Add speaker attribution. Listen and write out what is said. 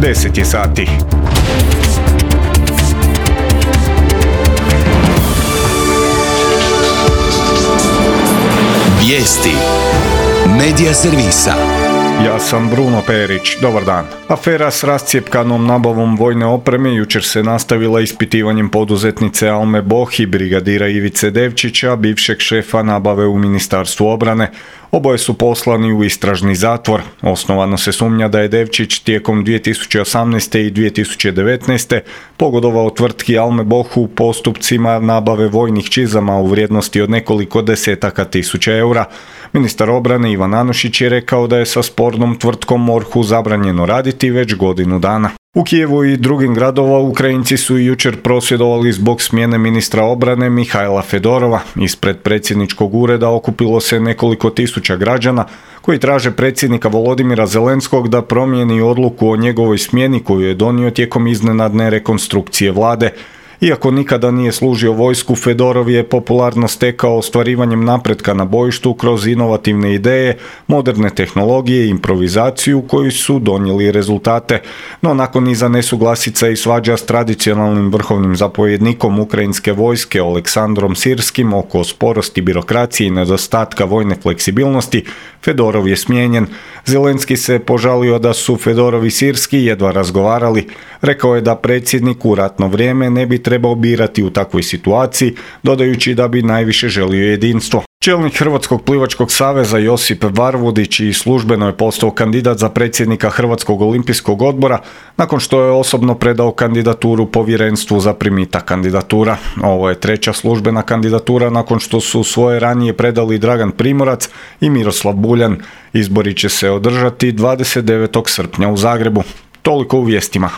Speaker 1: 10 je sati.
Speaker 2: Vijesti Medija servisa.
Speaker 1: Ja sam Bruno Perić, dobar dan. Afera s rascjepkanom nabavom vojne opreme jučer se nastavila ispitivanjem poduzetnice Alme Boh i brigadira Ivice Devčića, bivšeg šefa nabave u Ministarstvu obrane. Oboje su poslani u istražni zatvor. Osnovano se sumnja da je Devčić tijekom 2018. i 2019. pogodovao tvrtki Alme Boh u postupcima nabave vojnih čizama u vrijednosti od nekoliko desetaka tisuća eura. Ministar obrane Ivan Anušić je rekao da je sa spornom tvrtkom MORH-u zabranjeno raditi već godinu dana. U Kijevu i drugim gradova Ukrajinci su jučer prosvjedovali zbog smjene ministra obrane Mihajla Fedorova. Ispred predsjedničkog ureda okupilo se nekoliko tisuća građana koji traže predsjednika Volodimira Zelenskog da promijeni odluku o njegovoj smjeni koju je donio tijekom iznenadne rekonstrukcije vlade. Iako nikada nije služio vojsku, Fedorov je popularno stekao ostvarivanjem napretka na bojištu kroz inovativne ideje, moderne tehnologije i improvizaciju koji su donijeli rezultate. No nakon niza nesuglasica i svađa s tradicionalnim vrhovnim zapovjednikom ukrajinske vojske Oleksandrom Sirskim oko sporosti birokracije i nedostatka vojne fleksibilnosti, Fedorov je smijenjen. Zelenski se požalio da su Fedorov i Sirski jedva razgovarali. Rekao je da predsjednik u ratno vrijeme ne bi trebao birati u takvoj situaciji, dodajući da bi najviše želio jedinstvo. Čelnik Hrvatskog plivačkog saveza Josip Varvudić i službeno je postao kandidat za predsjednika Hrvatskog olimpijskog odbora nakon što je osobno predao kandidaturu povjerenstvu za primitak kandidatura. Ovo je treća službena kandidatura nakon što su svoje ranije predali Dragan Primorac i Miroslav Buljan. Izbori će se održati 29. srpnja u Zagrebu. Toliko u vijestima.